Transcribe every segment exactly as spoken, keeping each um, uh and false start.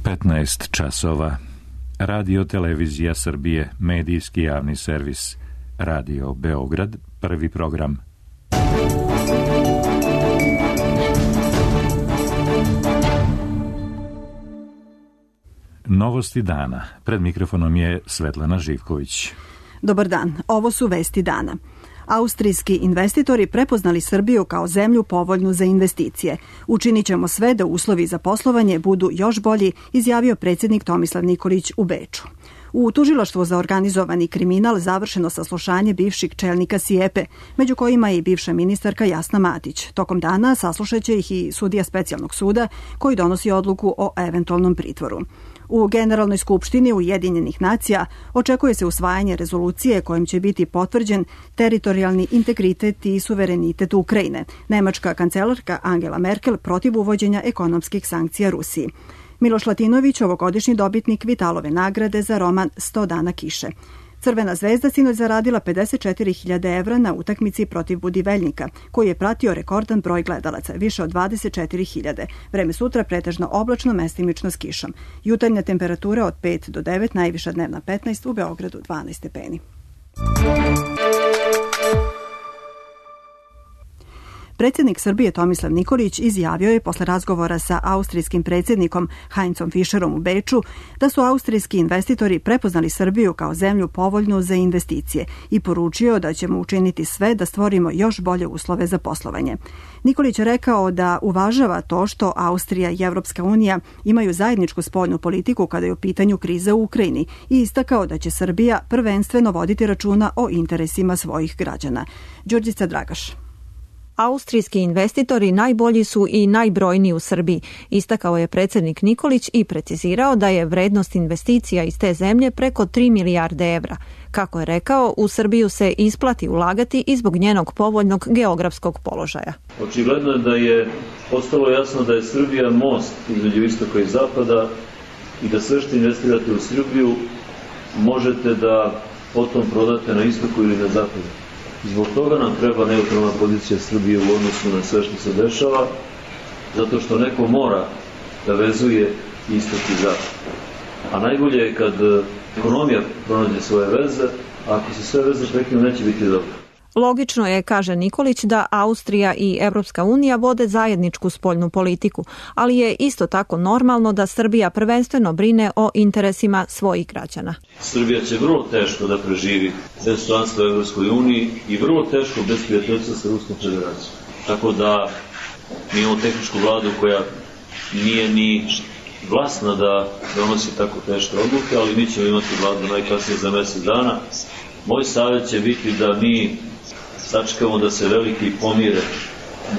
petnaest časova. Radio Televizija Srbije, medijski javni servis. Radio Beograd, prvi program. Novosti dana. Pred mikrofonom je Svetlana Živković. Dobar dan, ovo su vesti dana. Austrijski investitori prepoznali Srbiju kao zemlju povoljnu za investicije. Učinit ćemo sve da uslovi za poslovanje budu još bolji, izjavio predsjednik Tomislav Nikolić u Beču. U tužilaštvu za organizovani kriminal završeno saslušanje bivših čelnika SIEPE, među kojima je i bivša ministarka Jasna Matić. Tokom dana saslušat će ih i sudija specijalnog suda koji donosi odluku o eventualnom pritvoru. U Generalnoj skupštini Ujedinjenih nacija očekuje se usvajanje rezolucije kojim će biti potvrđen teritorijalni integritet i suverenitet Ukrajine. Nemačka kancelarka Angela Merkel protiv uvođenja ekonomskih sankcija Rusiji. Miloš Latinović, ovogodišnji dobitnik Vitalove nagrade za roman sto dana kiše. Crvena zvezda sinoć zaradila pedeset četiri hiljade evra na utakmici protiv Budiveljnika, koji je pratio rekordan broj gledalaca, više od dvadeset četiri hiljade. Vreme sutra pretežno oblačno, mestimično s kišom. Jutarnja temperatura od pet do devet, najviša dnevna petnaest, u Beogradu dvanaest stepeni. Predsjednik Srbije Tomislav Nikolić izjavio je posle razgovora sa austrijskim predsjednikom Heinzom Fischerom u Beču da su austrijski investitori prepoznali Srbiju kao zemlju povoljnu za investicije i poručio da ćemo učiniti sve da stvorimo još bolje uslove za poslovanje. Nikolić je rekao da uvažava to što Austrija i Evropska unija imaju zajedničku spoljnu politiku kada je u pitanju kriza u Ukrajini i istakao da će Srbija prvenstveno voditi računa o interesima svojih građana. Đurđica Dragaš. Austrijski investitori najbolji su i najbrojniji u Srbiji, istakao je predsjednik Nikolić i precizirao da je vrednost investicija iz te zemlje preko tri milijarde evra. Kako je rekao, u Srbiju se isplati ulagati i zbog njenog povoljnog geografskog položaja. Očigledno je da je postalo jasno da je Srbija most između istoka i zapada i da sve što investirate u Srbiju možete da potom prodate na istoku ili na zapadu. Zbog toga nam treba neutralna pozicija Srbije u odnosu na sve što se dešava, zato što neko mora da vezuje istok i zapad. A najbolje je kad ekonomija pronađe svoje veze, a ako se sve veze prekinu, neće biti dobro. Logično je, kaže Nikolić, da Austrija i Evropska unija vode zajedničku spoljnu politiku, ali je isto tako normalno da Srbija prvenstveno brine o interesima svojih građana. Srbija će vrlo teško da preživi bez članstva u Evropskoj uniji i vrlo teško bez prijateljstva sa Ruskom federacijom. Tako da mi imamo tehničku vladu koja nije ni vlasna da donosi tako teške odluke, ali mi ćemo imati vladu najkasnije za mjesec dana. Moj savjet će biti da mi sačekamo da se veliki pomire,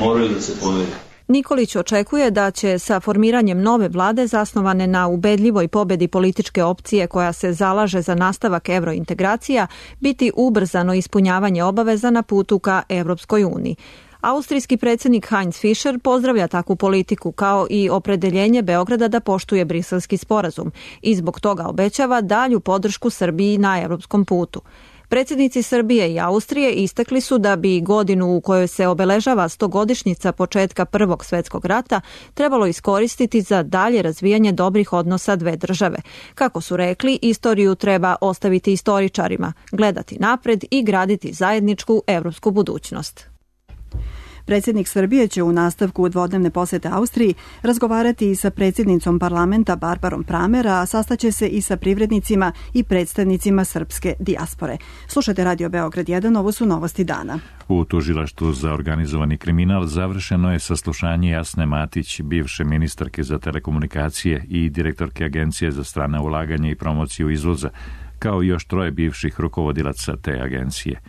moraju da se pomire. Nikolić očekuje da će sa formiranjem nove vlade zasnovane na ubedljivoj pobedi političke opcije koja se zalaže za nastavak evrointegracija biti ubrzano ispunjavanje obaveza na putu ka Evropskoj uniji. Austrijski predsjednik Heinz Fischer pozdravlja takvu politiku kao i opredeljenje Beograda da poštuje Briselski sporazum i zbog toga obećava dalju podršku Srbiji na evropskom putu. Predsjednici Srbije i Austrije istakli su da bi godinu u kojoj se obeležava stogodišnjica početka Prvog svjetskog rata trebalo iskoristiti za dalje razvijanje dobrih odnosa dve države. Kako su rekli, istoriju treba ostaviti istoričarima, gledati napred i graditi zajedničku evropsku budućnost. Predsjednik Srbije će u nastavku dvodnevne posete Austriji razgovarati i sa predsjednicom parlamenta Barbarom Pramer, a sastaće se i sa privrednicima i predstavnicima srpske dijaspore. Slušajte Radio Beograd jedan, ovo su novosti dana. U tužilaštvu za organizovani kriminal završeno je saslušanje Jasne Matić, bivše ministarke za telekomunikacije i direktorke Agencije za strana ulaganja i promociju izvoza, kao i još troje bivših rukovodilaca te agencije.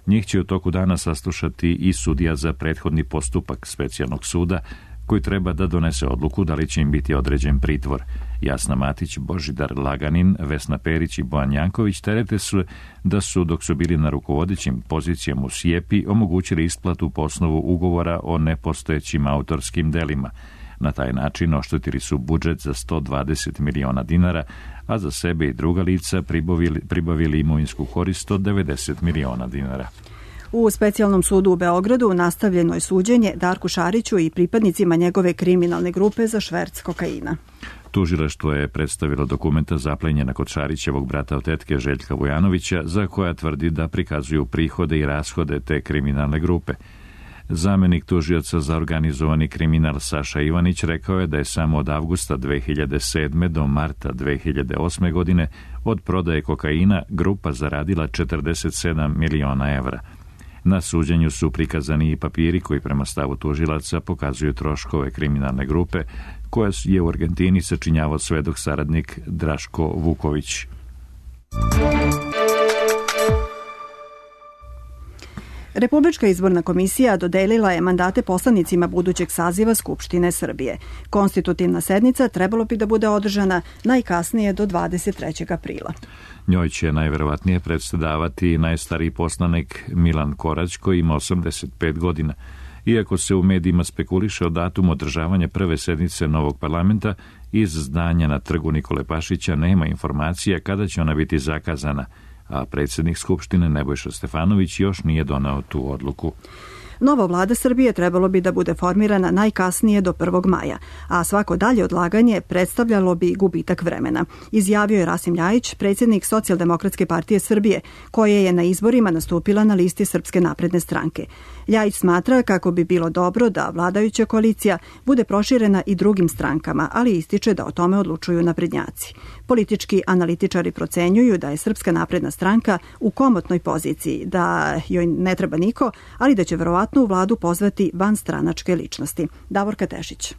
Njih će u toku dana saslušati i sudija za prethodni postupak specijalnog suda, koji treba da donese odluku da li će im biti određen pritvor. Jasna Matić, Božidar Laganin, Vesna Perić i Bojan Janković terete su da su, dok su bili na rukovodećim pozicijama u SIEPI, omogućili isplatu po osnovu ugovora o nepostojećim autorskim delima. Na taj način oštetili su budžet za sto dvadeset miliona dinara, a za sebe i druga lica pribavili, pribavili imovinsku korist od devedeset miliona dinara. U specijalnom sudu u Beogradu nastavljeno je suđenje Darku Šariću i pripadnicima njegove kriminalne grupe za šverc kokaina. Tužilaštvo je predstavilo dokumenta zaplenjena kod Šarićevog brata od tetke Željka Vujanovića, za koja tvrdi da prikazuju prihode i rashode te kriminalne grupe. Zamenik tužioca za organizovani kriminal Saša Ivanić rekao je da je samo od avgusta dve hiljade sedme. do marta dve hiljade osme. godine od prodaje kokaina grupa zaradila četrdeset sedam miliona evra. Na suđenju su prikazani i papiri koji prema stavu tužilaca pokazuju troškove kriminalne grupe koja je u Argentini sačinjavao svedok saradnik Draško Vuković. Republička izborna komisija dodelila je mandate poslanicima budućeg saziva Skupštine Srbije. Konstitutivna sednica trebalo bi da bude održana najkasnije do dvadeset trećeg aprila. Njoj će najverovatnije predsedavati najstariji poslanik Milan Korać, koji ima osamdeset pet godina. Iako se u medijima spekuliše o datumu održavanja prve sednice novog parlamenta, iz zdanja na trgu Nikole Pašića nema informacija kada će ona biti zakazana, a predsjednik Skupštine Nebojša Stefanović još nije doneo tu odluku. Nova vlada Srbije trebalo bi da bude formirana najkasnije do prvog maja, a svako dalje odlaganje predstavljalo bi gubitak vremena, izjavio je Rasim Ljajić, predsjednik Socijaldemokratske partije Srbije, koje je na izborima nastupila na listi Srpske napredne stranke. Ljajić smatra kako bi bilo dobro da vladajuća koalicija bude proširena i drugim strankama, ali ističe da o tome odlučuju naprednjaci. Politički analitičari procenjuju da je Srpska napredna stranka u komotnoj poziciji, da joj ne treba niko, ali da će verovatno u vladu pozvati vanstranačke ličnosti. Davorka Tešić.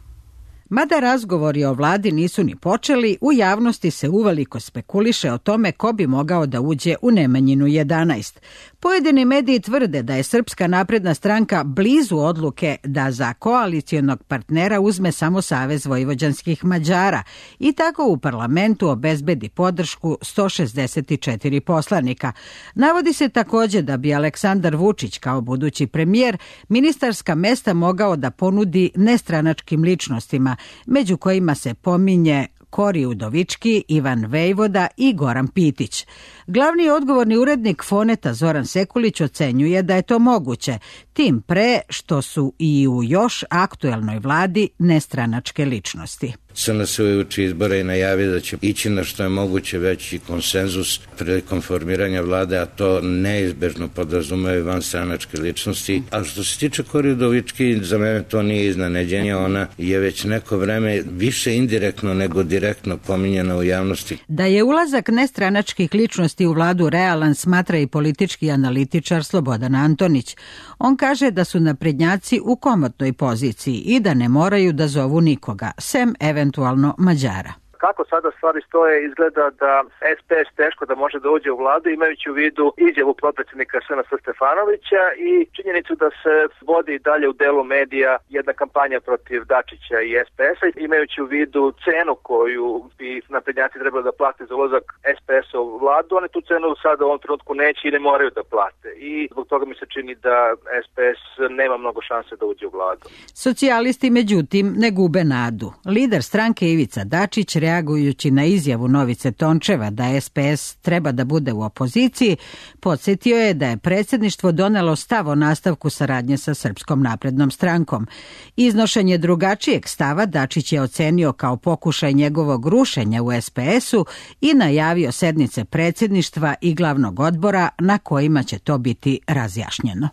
Mada razgovori o vladi nisu ni počeli, u javnosti se uveliko spekuliše o tome ko bi mogao da uđe u Nemanjinu jedanaest. Pojedini mediji tvrde da je Srpska napredna stranka blizu odluke da za koalicijonog partnera uzme samo Savez vojvođanskih Mađara i tako u parlamentu obezbedi podršku sto šezdeset četiri poslanika. Navodi se također da bi Aleksandar Vučić kao budući premijer ministarska mesta mogao da ponudi nestranačkim ličnostima, među kojima se pominje Kori Udovički, Ivan Vejvoda i Goran Pitić. Glavni odgovorni urednik Foneta Zoran Sekulić ocenjuje da je to moguće, tim pre što su i u još aktuelnoj vladi nestranačke ličnosti. S N S je uči izbora i najavio da će ići na što je moguće veći konsenzus prilikom formiranja vlade, a to neizbežno podrazumeva vanstranačke ličnosti. A što se tiče Kori Udovički, za mene to nije iznenađenje, ona je već neko vreme više indirektno nego direktno pominjena u javnosti. Da je ulazak nestranačkih ličnosti u vladu realan, smatra i politički analitičar Slobodan Antonić. On kaže da su naprednjaci u komotnoj poziciji i da ne moraju da zovu nikoga, sem eventualno Mađara. Kako sada stvari stoje, izgleda da S P S teško da može da uđe u vladu, imajući u vidu izjavu potpredsjednika S N S Stefanovića i činjenicu da se vodi dalje u delu medija jedna kampanja protiv Dačića i S P S-a, imajući u vidu cenu koju bi naprednjaci trebali da plate za ulazak S P S-a u vladu. Oni tu cenu sada u ovom trenutku neće i ne moraju da plate i zbog toga mi se čini da S P S nema mnogo šanse da uđe u vladu. Socijalisti međutim ne gube nadu. Lider stranke Ivica Dačić, reagujući na izjavu Novice Tončeva da S P S treba da bude u opoziciji, podsjetio je da je predsjedništvo donelo stav o nastavku saradnje sa Srpskom naprednom strankom. Iznošenje drugačijeg stava Dačić je ocenio kao pokušaj njegovog rušenja u S P S-u i najavio sednice predsjedništva i glavnog odbora na kojima će to biti razjašnjeno.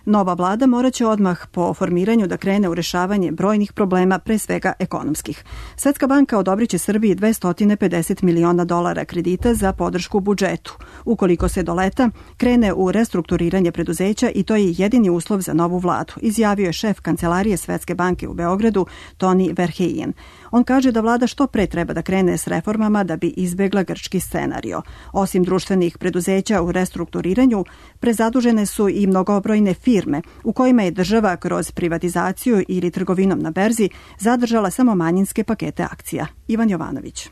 Nova vlada morat će odmah po formiranju da krene u rešavanje brojnih problema, pre svega ekonomskih. Svetska banka odobrit će Srbiji dvesta pedeset miliona dolara kredita za podršku budžetu. Ukoliko se do leta krene u restrukturiranje preduzeća i to je jedini uslov za novu vladu, izjavio je šef kancelarije Svetske banke u Beogradu Toni Verheyen. On kaže da vlada što pre treba da krene s reformama da bi izbegla grčki scenario. Osim društvenih preduzeća u restrukturiranju, prezadužene su i mnogobrojne firme u kojima je država kroz privatizaciju ili trgovinom na berzi zadržala samo manjinske pakete akcija. Ivan Jovanović.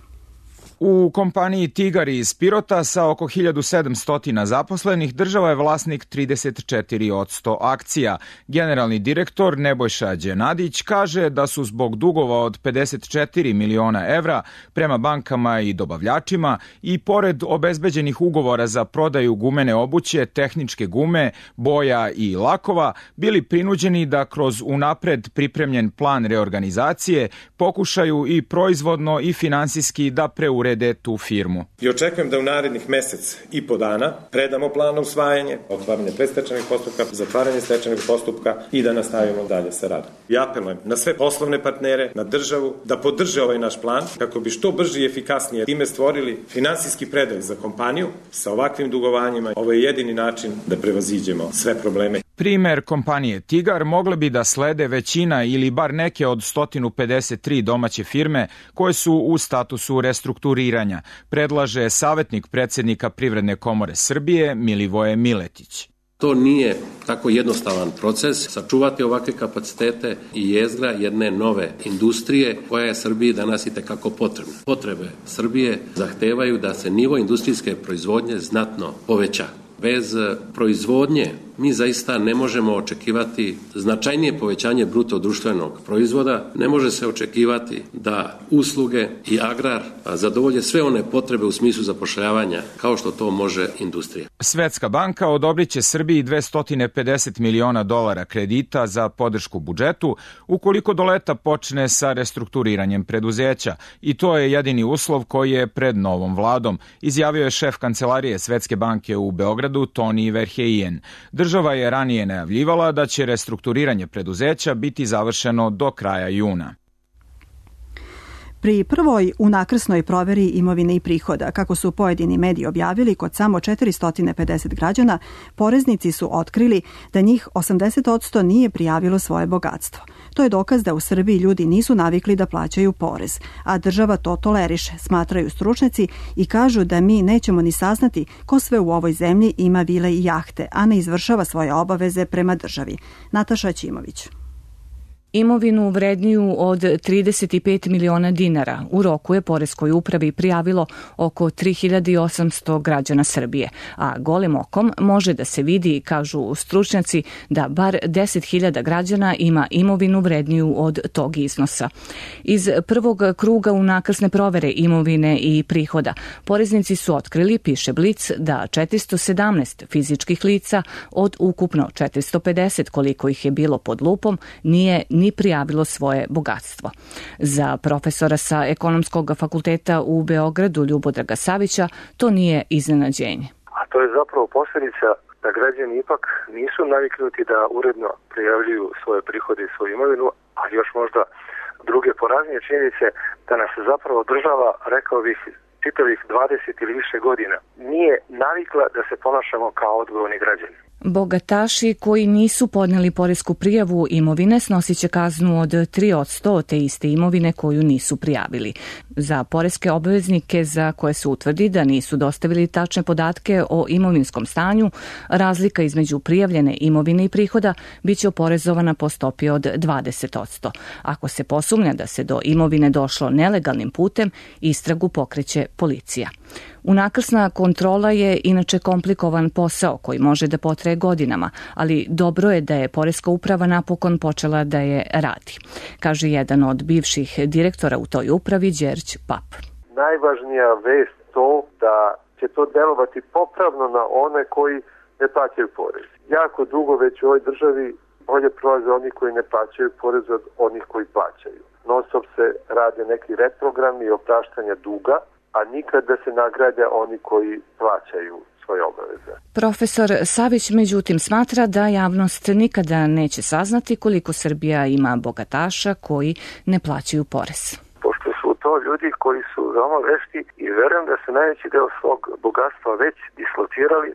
U kompaniji Tigar iz Pirota sa oko hiljadu sedamsto zaposlenih država je vlasnik trideset četiri posto akcija. Generalni direktor Nebojša Đenadić kaže da su zbog dugova od pedeset četiri miliona evra prema bankama i dobavljačima i pored obezbeđenih ugovora za prodaju gumene obuće, tehničke gume, boja i lakova bili prinuđeni da kroz unapred pripremljen plan reorganizacije pokušaju i proizvodno i finansijski da preurede tu firmu. I očekujem da u narednih mesec i po dana predamo plan usvajanje, otvaranje predstečajnog postupka, zatvaranje stečajnog postupka i da nastavimo dalje sa radom. I apelujem na sve poslovne partnere, na državu, da podrže ovaj naš plan kako bi što brže i efikasnije time stvorili finansijski predah za kompaniju sa ovakvim dugovanjima. Ovo je jedini način da prevaziđemo sve probleme. Primer kompanije Tigar mogle bi da slede većina ili bar neke od sto pedeset tri domaće firme koje su u statusu restrukturiranja, predlaže savjetnik predsjednika Privredne komore Srbije Milivoje Miletić. To nije tako jednostavan proces, sačuvati ovakve kapacitete i jezgra jedne nove industrije koja je Srbiji danas i tekako potrebna. Potrebe Srbije zahtevaju da se nivo industrijske proizvodnje znatno poveća. Bez proizvodnje mi zaista ne možemo očekivati značajnije povećanje bruto društvenog proizvoda, ne može se očekivati da usluge i agrar zadovolje sve one potrebe u smislu zapošljavanja kao što to može industrija. Svetska banka odobrit će Srbiji dvesta pedeset miliona dolara kredita za podršku budžetu ukoliko do leta počne sa restrukturiranjem preduzeća i to je jedini uslov koji je pred novom vladom, izjavio je šef kancelarije Svetske banke u Beogradu Toni Verheyen. Država je ranije najavljivala da će restrukturiranje preduzeća biti završeno do kraja juna. Pri prvoj unakrsnoj proveri imovine i prihoda, kako su pojedini mediji objavili kod samo četiristo pedeset građana, poreznici su otkrili da njih osamdeset posto nije prijavilo svoje bogatstvo. To je dokaz da u Srbiji ljudi nisu navikli da plaćaju porez, a država to toleriše, smatraju stručnjaci i kažu da mi nećemo ni saznati ko sve u ovoj zemlji ima vile i jahte, a ne izvršava svoje obaveze prema državi. Nataša Ćimović. Imovinu vredniju od trideset pet miliona dinara u roku je poreskoj upravi prijavilo oko tri hiljade osamsto građana Srbije, a golim okom može da se vidi, kažu stručnjaci, da bar deset hiljada građana ima imovinu vredniju od tog iznosa. Iz prvog kruga unakrsne provere imovine i prihoda poreznici su otkrili, piše Blic, da četiristo sedamnaest fizičkih lica od ukupno četiristo pedeset koliko ih je bilo pod lupom nije ni prijavilo svoje bogatstvo. Za profesora sa Ekonomskog fakulteta u Beogradu Ljubodraga Savića to nije iznenađenje. A to je zapravo posljedica da građani ipak nisu naviknuti da uredno prijavljuju svoje prihode i svoju imovinu, a još možda druge poraznije činjenice da nas zapravo država, rekao bih, čitavih dvadeset ili više godina nije navikla da se ponašamo kao odgovorni građani. Bogataši koji nisu podneli poresku prijavu imovine snosit će kaznu od tri posto te iste imovine koju nisu prijavili. Za poreske obveznike za koje se utvrdi da nisu dostavili tačne podatke o imovinskom stanju, razlika između prijavljene imovine i prihoda biće oporezovana po stopi od dvadeset posto. Ako se posumnja da se do imovine došlo nelegalnim putem, istragu pokreće policija. Unakrsna kontrola je inače komplikovan posao koji može da potraje godinama, ali dobro je da je Poreska uprava napokon počela da je radi, kaže jedan od bivših direktora u toj upravi, Đerđ Pap. Najvažnija vest to da će to delovati popravno na one koji ne plaćaju porez. Jako dugo već u ovoj državi bolje prolaze oni koji ne plaćaju porez od onih koji plaćaju. Non stop se rade neki reprogrami i opraštanja duga, a nikad da se nagrade oni koji plaćaju svoje obaveze. Profesor Savić međutim smatra da javnost nikada neće saznati koliko Srbija ima bogataša koji ne plaćaju porez. Pošto su to ljudi koji su veoma vešti i verujem da se najveći deo svog bogatstva već dislocirali,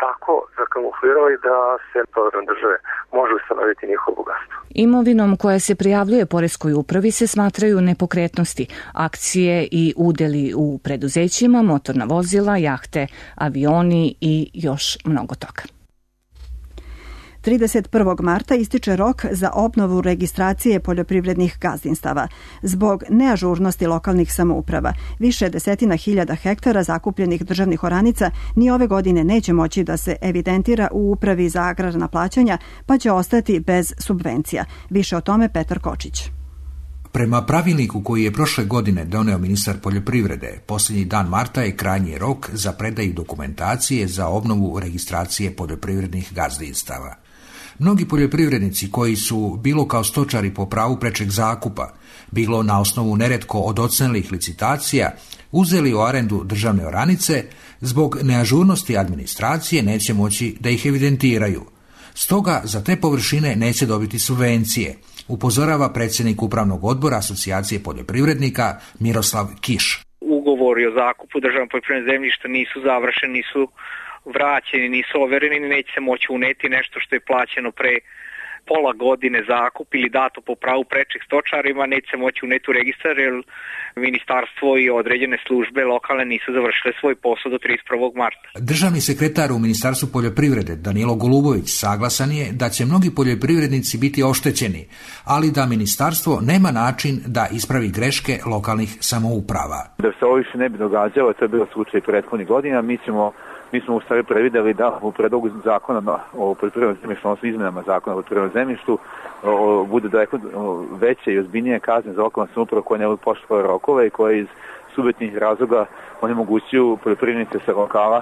tako zakamuflirali da se program države može ustanoviti njihovo bogatstvo. Imovinom koja se prijavljuje Poreskoj upravi se smatraju nepokretnosti, akcije i udeli u preduzećima, motorna vozila, jahte, avioni i još mnogo toga. trideset prvog marta ističe rok za obnovu registracije poljoprivrednih gazdinstava. Zbog neažurnosti lokalnih samouprava, više desetina hiljada hektara zakupljenih državnih oranica ni ove godine neće moći da se evidentira u Upravi za agrarna plaćanja, pa će ostati bez subvencija. Više o tome Petar Kočić. Prema pravilniku koji je prošle godine doneo ministar poljoprivrede, posljednji dan marta je krajnji rok za predaju dokumentacije za obnovu registracije poljoprivrednih gazdinstava. Mnogi poljoprivrednici koji su, bilo kao stočari po pravu prečeg zakupa, bilo na osnovu neretko odocenelih licitacija, uzeli u arendu državne oranice, zbog neažurnosti administracije neće moći da ih evidentiraju. Stoga za te površine neće dobiti subvencije, upozorava predsjednik Upravnog odbora Asocijacije poljoprivrednika Miroslav Kiš. Ugovori o zakupu državnog poljoprivrednog zemljišta nisu završeni, nisu vraćeni, nisu overeni, neće se moći uneti nešto što je plaćeno pre pola godine zakup ili dato po pravu prečih stočarima, neće se moći uneti u registar jer ministarstvo i određene službe lokalne nisu završile svoj posao do trideset prvog marta. Državni sekretar u Ministarstvu poljoprivrede Danilo Golubović saglasan je da će mnogi poljoprivrednici biti oštećeni, ali da ministarstvo nema način da ispravi greške lokalnih samouprava. Da se ovo više ne bi događalo, to je bilo slučaj prethodnih godina, mi ćemo Mi smo u stvari prevideli da u predlogu zakona o poljoprivrednom zemljištu, odnosno izmenama zakona o poljoprivrednom zemljištu, o, bude daleko veće i ozbiljnije kazne za lokalnu samoupravu koje ne budu poštovale rokove i koje iz subjektivnih razloga onemogućuju poljoprivrednice sa lokala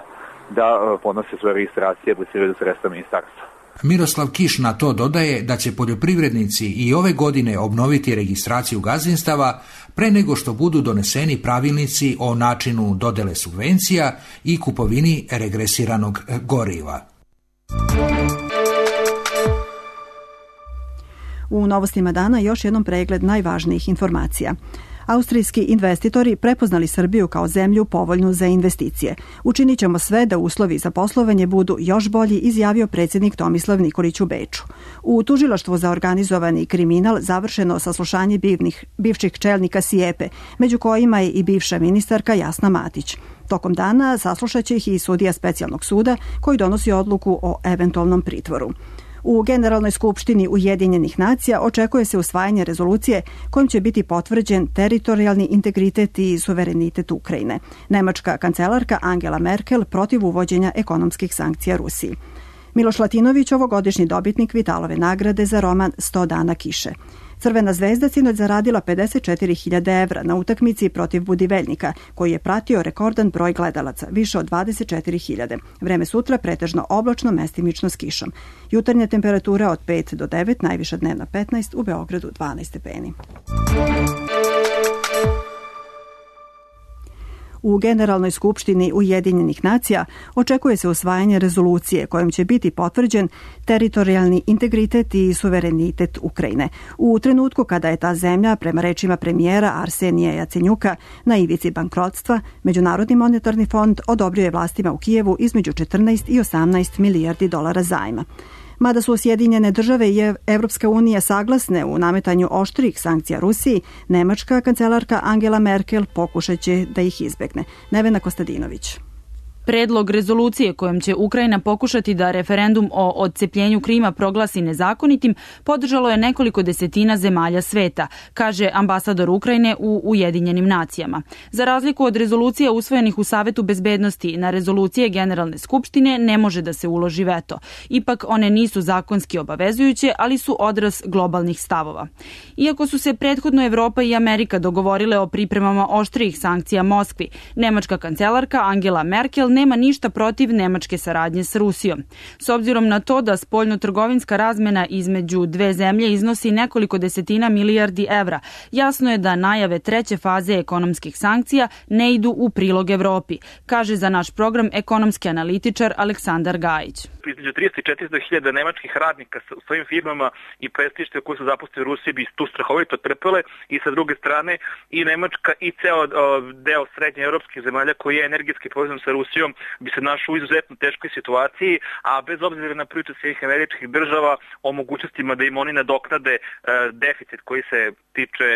da podnose svoje registracije i apliciraju za sredstva ministarstva. Miroslav Kiš na to dodaje da će poljoprivrednici i ove godine obnoviti registraciju gazdinstava pre nego što budu doneseni pravilnici o načinu dodele subvencija i kupovini regresiranog goriva. U novostima dana još jednom pregled najvažnijih informacija. Austrijski investitori prepoznali Srbiju kao zemlju povoljnu za investicije. Učinit ćemo sve da uslovi za poslovanje budu još bolji, izjavio predsjednik Tomislav Nikolić u Beču. U tužilaštvu za organizovani kriminal završeno saslušanje bivnih, bivših čelnika SIEPE, među kojima je i bivša ministarka Jasna Matić. Tokom dana saslušat će ih i sudija specijalnog suda koji donosi odluku o eventualnom pritvoru. U Generalnoj skupštini Ujedinjenih nacija očekuje se usvajanje rezolucije kojom će biti potvrđen teritorijalni integritet i suverenitet Ukrajine. Nemačka kancelarka Angela Merkel protiv uvođenja ekonomskih sankcija Rusiji. Miloš Latinović, ovogodišnji dobitnik Vitalove nagrade za roman sto dana kiše. Crvena zvezda sinoć zaradila pedeset četiri hiljade evra na utakmici protiv Budiveljnika, koji je pratio rekordan broj gledalaca, više od dvadeset četiri hiljade. Vreme sutra pretežno oblačno, mestimično s kišom. Jutarnja temperatura od pet do devet, najviša dnevna petnaest, u Beogradu dvanaest stepeni. U Generalnoj skupštini Ujedinjenih nacija očekuje se usvajanje rezolucije kojom će biti potvrđen teritorijalni integritet i suverenitet Ukrajine. U trenutku kada je ta zemlja, prema rečima premijera Arsenija Jacenjuka, na ivici bankrotstva, Međunarodni monetarni fond odobrio je vlastima u Kijevu između četrnaest i osamnaest milijardi dolara zajma. Mada su Sjedinjene države i Evropska unija saglasne u nametanju oštrih sankcija Rusiji, nemačka kancelarka Angela Merkel pokušat će da ih izbegne. Nevena Kostadinović. Predlog rezolucije kojom će Ukrajina pokušati da referendum o odcepljenju Krima proglasi nezakonitim podržalo je nekoliko desetina zemalja sveta, kaže ambasador Ukrajine u Ujedinjenim nacijama. Za razliku od rezolucija usvojenih u Savetu bezbednosti, na rezolucije Generalne skupštine ne može da se uloži veto. Ipak one nisu zakonski obavezujuće, ali su odraz globalnih stavova. Iako su se prethodno Evropa i Amerika dogovorile o pripremama oštrijih sankcija Moskvi, nemačka kancelarka Angela Merkel nema ništa protiv nemačke saradnje s Rusijom. S obzirom na to da spoljno-trgovinska razmena između dve zemlje iznosi nekoliko desetina milijardi evra, jasno je da najave treće faze ekonomskih sankcija ne idu u prilog Evropi, kaže za naš program ekonomski analitičar Aleksandar Gajić. Između tristo i četiristo hiljada nemačkih radnika u svojim firmama i predstavništva koji su zaposleni u Rusiji bi tu strahovito trpele i sa druge strane i Nemačka i ceo deo srednje evropskih zemalja koji je energetski povezan sa Rusijom bi se našao u izuzetno teškoj situaciji, a bez obzira na priču svih američkih država o mogućnostima da im oni nadoknade deficit koji se tiče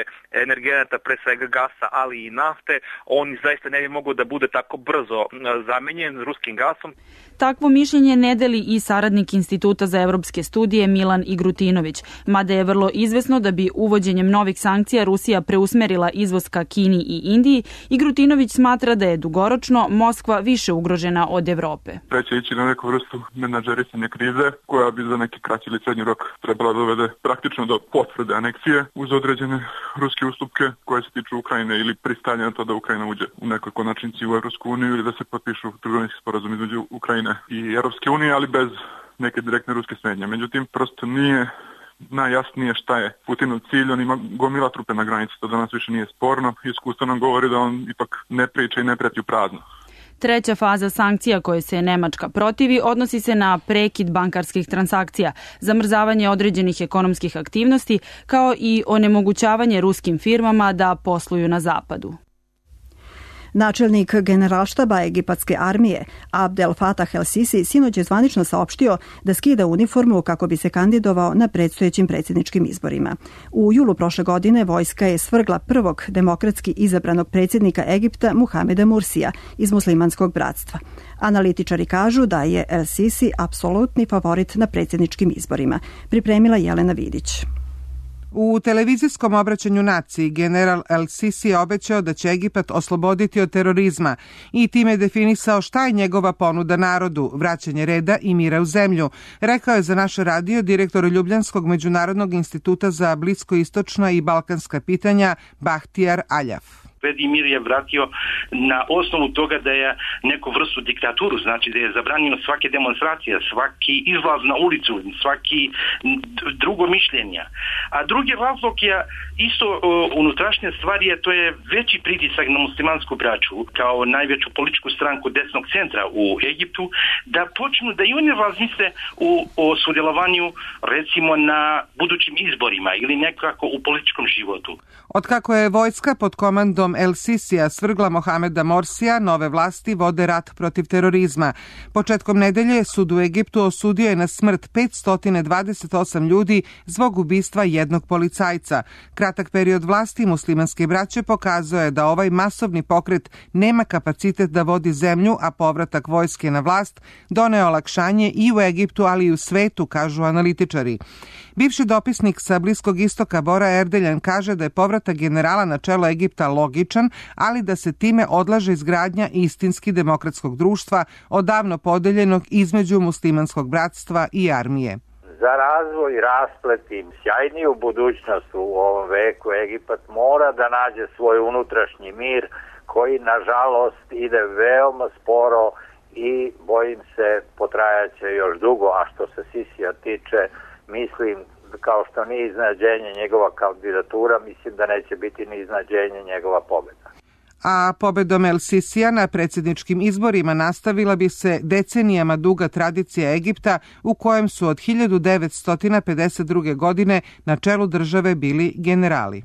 energenata, pre svega gasa, ali i nafte, on zaista ne bi mogao da bude tako brzo zamenjen ruskim gasom. Takvo mišljenje ne deli i saradnik Instituta za evropske studije Milan Igrutinović, mada je vrlo izvesno da bi uvođenjem novih sankcija Rusija preusmerila izvoz ka Kini i Indiji. Igrutinović smatra da je dugoročno Moskva više ugrožena od Evrope. Treće ići na neku vrstu menadžerisanja krize koja bi za neki kraći ili srednji rok trebala dovede praktično do potvrde aneksije uz određene ruske ustupke koje se tiču Ukrajine ili pristanja na to da Ukrajina uđe u nekoj konačnici u Evropsku uniju ili da se potpišu trgovinski sporazum između Ukrajine i Evropske unije, ali bez neke direktne ruske smetnje. Međutim, prosto nije najjasnije šta je Putinov cilj, on ima gomila trupe na granici, to danas više nije sporno. Iskustvo nam govori da on ipak ne priča i ne preti u prazno. Treća faza sankcija koje se Nemačka protivi odnosi se na prekid bankarskih transakcija, zamrzavanje određenih ekonomskih aktivnosti, kao i onemogućavanje ruskim firmama da posluju na zapadu. Načelnik generalštaba egipatske armije Abdel Fattah el-Sisi sinoć je zvanično saopštio da skida uniformu kako bi se kandidovao na predstojećim predsjedničkim izborima. U julu prošle godine vojska je svrgla prvog demokratski izabranog predsjednika Egipta Muhameda Mursija iz muslimanskog bratstva. Analitičari kažu da je el-Sisi apsolutni favorit na predsjedničkim izborima. Pripremila Jelena Vidić. U televizijskom obraćanju naciji general el-Sisi je obećao da će Egipat osloboditi od terorizma i time definisao šta je njegova ponuda narodu, vraćanje reda i mira u zemlju, rekao je za naš radio direktor Ljubljanskog međunarodnog instituta za bliskoistočna i balkanska pitanja Bahtijar Aljaf. Mir je vratio na osnovu toga da je neku vrstu diktaturu, znači da je zabranjeno svake demonstracije, svaki izlaz na ulicu, svaki drugo mišljenja. A drugi razlog je isto uh, unutrašnja stvar je, to je veći pritisak na muslimansku braću kao najveću političku stranku desnog centra u Egiptu, da počnu da i oni razmisle u, o sudjelovanju recimo na budućim izborima ili nekako u političkom životu. Otkako je vojska pod komandom el-Sisija svrgla Mohameda Morsija, nove vlasti vode rat protiv terorizma. Početkom nedelje sud u Egiptu osudio je na smrt petsto dvadeset osam ljudi zbog ubistva jednog policajca. Kratak period vlasti muslimanske braće pokazuje je da ovaj masovni pokret nema kapacitet da vodi zemlju, a povratak vojske na vlast doneo olakšanje i u Egiptu, ali i u svetu, kažu analitičari. Bivši dopisnik sa Bliskog istoka Bora Erdeljan kaže da je povratak generala na čelo Egipta logičan, ali da se time odlaže izgradnja istinski demokratskog društva, odavno podeljenog između muslimanskog bratstva i armije. Za razvoj, rasplet i sjajniju budućnost u ovom veku Egipat mora da nađe svoj unutrašnji mir koji nažalost ide veoma sporo i bojim se potrajaće još dugo, a što se Sisija tiče, mislim, kao što nije iznenađenje njegova kandidatura, mislim da neće biti ni iznenađenje njegova pobjeda. A pobedom el-Sisija na predsjedničkim izborima nastavila bi se decenijama duga tradicija Egipta u kojem su od hiljadu devetsto pedeset druge. godine na čelu države bili generali.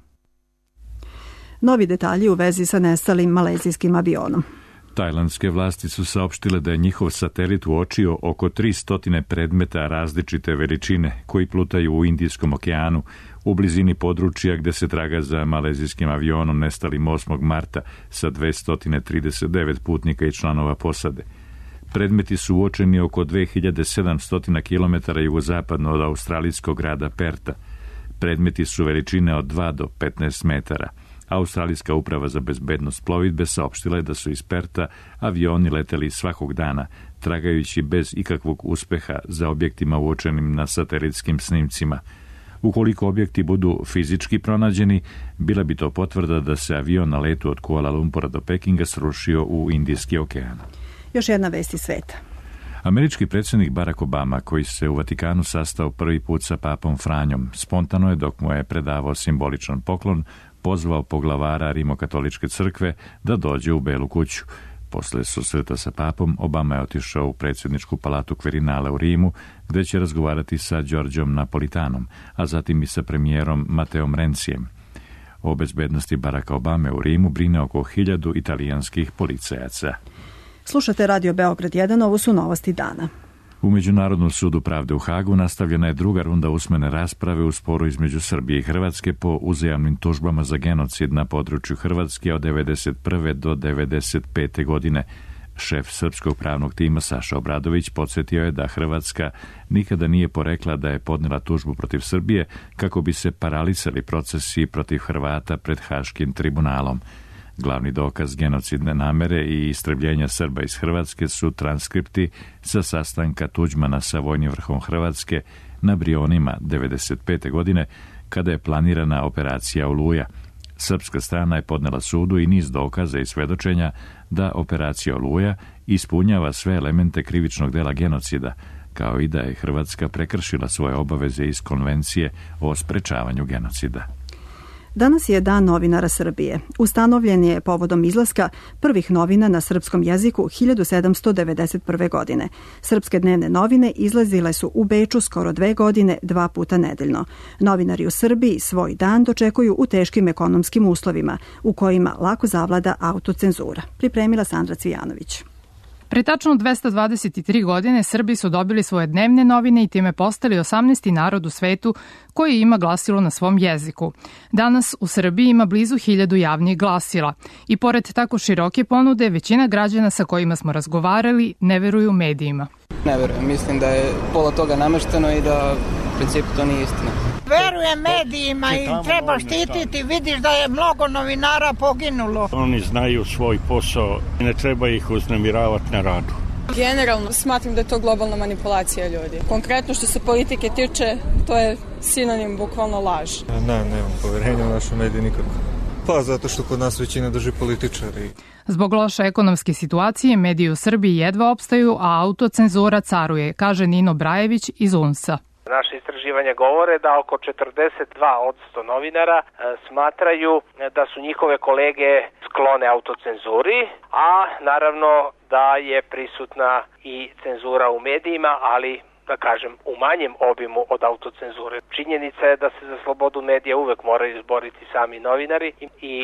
Novi detalji u vezi sa nestalim malezijskim avionom. Tajlandske vlasti su saopštile da je njihov satelit uočio oko tristo predmeta različite veličine koji plutaju u Indijskom okeanu u blizini područja gde se traga za malezijskim avionom nestalim osmog marta sa dvesta trideset devet putnika i članova posade. Predmeti su uočeni oko dve hiljade sedamsto kilometara jugozapadno od australijskog grada Perta. Predmeti su veličine od dva do petnaest metara. Australijska uprava za bezbednost plovidbe saopštila je da su iz Perta avioni leteli svakog dana, tragajući bez ikakvog uspeha za objektima uočenim na satelitskim snimcima. Ukoliko objekti budu fizički pronađeni, bila bi to potvrda da se avion na letu od Kuala Lumpura do Pekinga srušio u Indijski okean. Još jedna vest iz sveta. Američki predsjednik Barack Obama, koji se u Vatikanu sastao prvi put sa papom Franjom, spontano je, dok mu je predavao simboličan poklon, pozvao poglavara Rimokatoličke crkve da dođe u Belu kuću. Posle susreta sa papom, Obama je otišao u predsjedničku palatu Quirinale u Rimu, gde će razgovarati sa Đorđom Napolitanom, a zatim i sa premijerom Mateom Rencijem. O bezbednosti Baracka Obame u Rimu brine oko hiljadu italijanskih policajaca. Slušate Radio Beograd jedan, ovo su novosti dana. U Međunarodnom sudu pravde u Hagu nastavljena je druga runda usmene rasprave u sporu između Srbije i Hrvatske po uzajamnim tužbama za genocid na području Hrvatske od devedeset prve do devedeset pete. godine. Šef srpskog pravnog tima Saša Obradović podsjetio je da Hrvatska nikada nije porekla da je podnela tužbu protiv Srbije kako bi se paralisali procesi protiv Hrvata pred Haškim tribunalom. Glavni dokaz genocidne namere i istrebljenja Srba iz Hrvatske su transkripti sa sastanka Tuđmana sa vojnim vrhom Hrvatske na Brionima devedeset pete. godine, kada je planirana operacija Oluja. Srpska strana je podnela sudu i niz dokaza i svedočenja da operacija Oluja ispunjava sve elemente krivičnog dela genocida, kao i da je Hrvatska prekršila svoje obaveze iz Konvencije o sprečavanju genocida. Danas je Dan novinara Srbije. Ustanovljen je povodom izlaska prvih novina na srpskom jeziku hiljadu sedamsto devedeset prve. godine. Srpske dnevne novine izlazile su u Beču skoro dve godine, dva puta nedeljno. Novinari u Srbiji svoj dan dočekuju u teškim ekonomskim uslovima, u kojima lako zavlada autocenzura. Pripremila Sandra Cvijanović. Pre tačno dvesta dvadeset tri godine Srbi su dobili svoje dnevne novine i time postali osamnaesti narod u svetu koji ima glasilo na svom jeziku. Danas u Srbiji ima blizu hiljadu javnih glasila i pored tako široke ponude, većina građana sa kojima smo razgovarali ne veruju medijima. Ne verujem, mislim da je pola toga namešteno i da u principu to nije istina. Verujem medijima i treba štititi, vidiš da je mnogo novinara poginulo. Oni znaju svoj posao i ne treba ih uznemiravati na radu. Generalno smatram da je to globalna manipulacija ljudi. Konkretno što se politike tiče, to je sinonim bukvalno laž. Ne, nemam poverenja u našu mediju nikako. Pa zato što kod nas većina drži političari. Zbog loše ekonomske situacije mediji u Srbiji jedva opstaju, a autocenzura caruje, kaže Nino Brajević iz U N S-a. Naše istraživanja govore da oko četrdeset dva posto novinara e, smatraju da su njihove kolege sklone autocenzuri, a naravno da je prisutna i cenzura u medijima, ali da kažem, u manjem obimu od autocenzure. Činjenica je da se za slobodu medija uvek moraju izboriti sami novinari i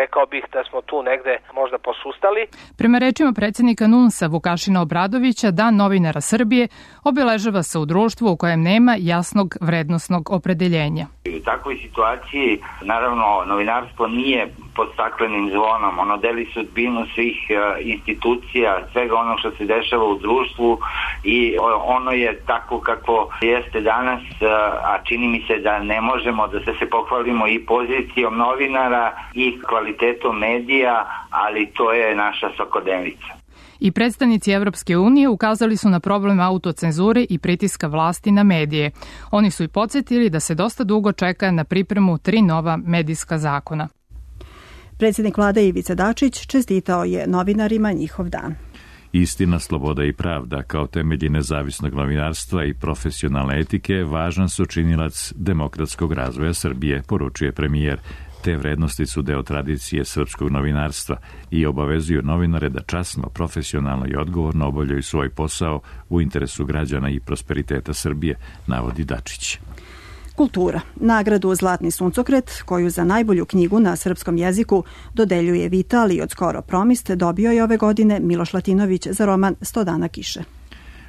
rekao bih da smo tu negde možda posustali. Prema rečima predsjednika N U N S-a Vukašina Obradovića, Dan novinara Srbije obeležava se u društvu u kojem nema jasnog vrednosnog opredeljenja. U takvoj situaciji, naravno, novinarstvo nije pod staklenim zvonom. Ono deli sudbinu svih institucija, svega ono što se dešava u društvu i ono je tako kako jeste danas, a čini mi se da ne možemo da se pohvalimo i pozicijom novinara i kvalitetom medija, ali to je naša svakodnevnica. I predstavnici Evropske unije ukazali su na problem autocenzure i pritiska vlasti na medije. Oni su i podsjetili da se dosta dugo čeka na pripremu tri nova medijska zakona. Predsjednik vlade Ivica Dačić čestitao je novinarima njihov dan. Istina, sloboda i pravda kao temelji nezavisnog novinarstva i profesionalne etike važan su činilac demokratskog razvoja Srbije, poručuje premijer. Te vrednosti su deo tradicije srpskog novinarstva i obavezuju novinare da časno, profesionalno i odgovorno obavljaju svoj posao u interesu građana i prosperiteta Srbije, navodi Dačić. Kultura. Nagradu Zlatni suncokret, koju za najbolju knjigu na srpskom jeziku dodeljuje Vital i od skoro Promist, dobio je ove godine Miloš Latinović za roman Sto dana kiše.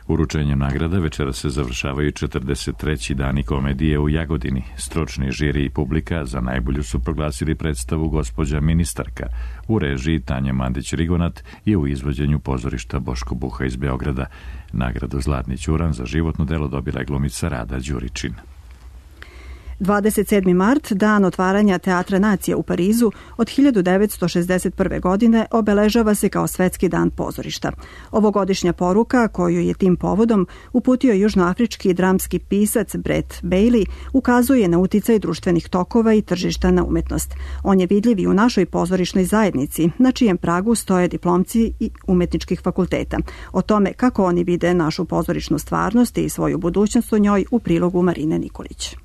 Uručenjem nagrada večera se završavaju četrdeset treći dani komedije u Jagodini. Stručni žiri i publika za najbolju su proglasili predstavu Gospođa ministarka u režiji Tanje Mandić-Rigonat i u izvođenju pozorišta Boško Buha iz Beograda. Nagradu Zlatni ćuran za životno delo dobila je glumica Rada Đuričin. dvadeset sedmi mart, dan otvaranja Teatra nacije u Parizu, od hiljadu devetsto šezdeset prve. godine obeležava se kao Svetski dan pozorišta. Ovogodišnja poruka, koju je tim povodom uputio južnoafrički dramski pisac Brett Bailey, ukazuje na uticaj društvenih tokova i tržišta na umetnost. On je vidljiv i u našoj pozorišnoj zajednici, na čijem pragu stoje diplomci i umetničkih fakulteta. O tome kako oni vide našu pozorišnu stvarnost i svoju budućnost u njoj u prilogu Marine Nikolić.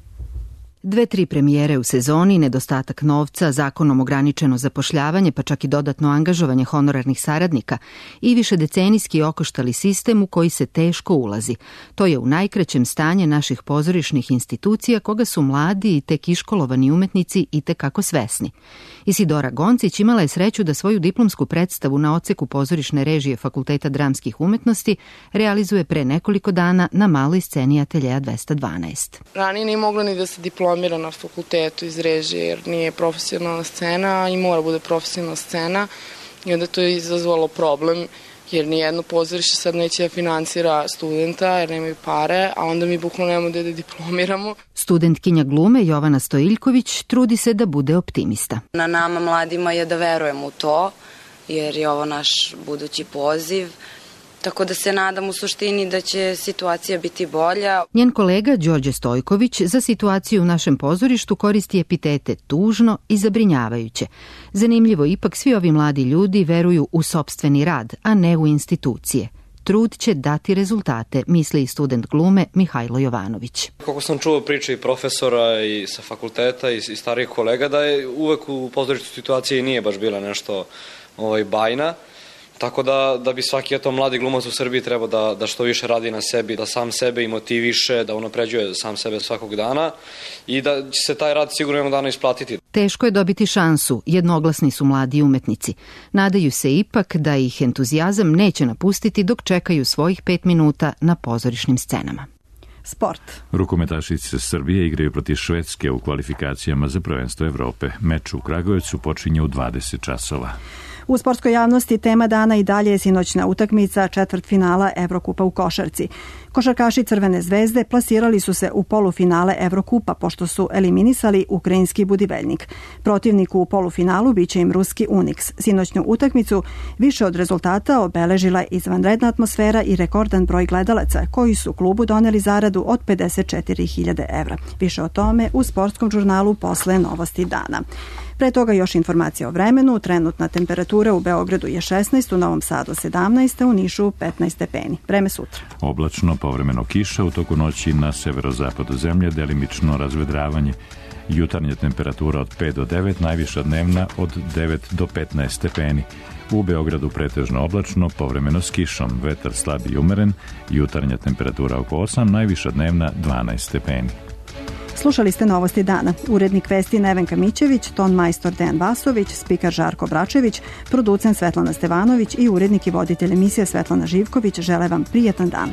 Dve, tri premijere u sezoni, nedostatak novca, zakonom ograničeno zapošljavanje, pa čak i dodatno angažovanje honorarnih saradnika i višedecenijski okoštali sistem u koji se teško ulazi. To je u najkraćem stanje naših pozorišnih institucija koga su mladi i tek iškolovani umetnici i tekako svesni. Isidora Goncić imala je sreću da svoju diplomsku predstavu na odseku pozorišne režije Fakulteta dramskih umetnosti realizuje pre nekoliko dana na maloj sceni Ateljeja dvesta dvanaest. Ranije nije mogla ni da se diplomira na fakultetu iz režije jer nije profesionalna scena i mora bude profesionalna scena i onda to je izazvalo problem jer nijedno pozorište sad neće da finansira studenta jer nemaju pare, a onda mi bukvalno nemamo da diplomiramo. Studentkinja glume Jovana Stojiljković trudi se da bude optimista. Na nama mladima je da verujemo u to, jer je ovo naš budući poziv. Tako da se nadam u suštini da će situacija biti bolja. Njen kolega Đorđe Stojković za situaciju u našem pozorištu koristi epitete tužno i zabrinjavajuće. Zanimljivo, ipak svi ovi mladi ljudi veruju u sopstveni rad, a ne u institucije. Trud će dati rezultate, misli i student glume Mihajlo Jovanović. Kako sam čuo priče i profesora i sa fakulteta i, i starijih kolega, da je uvek u pozorištu situacija i nije baš bila nešto ovaj, bajna. Tako da, da bi svaki eto, mladi glumac u Srbiji trebao da, da što više radi na sebi, da sam sebe i motiviše, da unapređuje sam sebe svakog dana i da će se taj rad sigurno jednog dana isplatiti. Teško je dobiti šansu, jednoglasni su mladi umetnici. Nadaju se ipak da ih entuzijazam neće napustiti dok čekaju svojih pet minuta na pozorišnim scenama. Sport. Rukometašice Srbije igraju protiv Švedske u kvalifikacijama za prvenstvo Evrope. Meč u Kragujevcu počinje u dvadeset časova. U sportskoj javnosti tema dana i dalje je sinoćna utakmica četvrtfinala Evrokupa u košarci. Košarkaši Crvene zvezde plasirali su se u polufinale Evrokupa pošto su eliminisali ukrajinski Budivelnik. Protivnik u polufinalu biće im ruski Uniks. Sinoćnu utakmicu više od rezultata obeležila izvanredna atmosfera i rekordan broj gledalaca koji su klubu doneli zaradu od pedeset četiri hiljade evra. Više o tome u sportskom žurnalu posle Novosti dana. Pre toga još informacija o vremenu. Trenutna temperatura u Beogradu je šesnaest, u Novom Sadu sedamnaest, u Nišu petnaest stepeni. Vreme sutra. Oblačno, povremeno kiša, u toku noći na severozapadu zemlje, delimično razvedravanje. Jutarnja temperatura od pet do devet, najviša dnevna od devet do petnaest stepeni. U Beogradu pretežno oblačno, povremeno s kišom, vetar slab i umeren, jutarnja temperatura oko osam, najviša dnevna dvanaest stepeni. Slušali ste Novosti dana. Urednik vesti Nevenka Mićević, ton majstor Dejan Vasović, spikar Žarko Bračević, producent Svetlana Stevanović i urednik i voditelj emisije Svetlana Živković žele vam prijetan dan.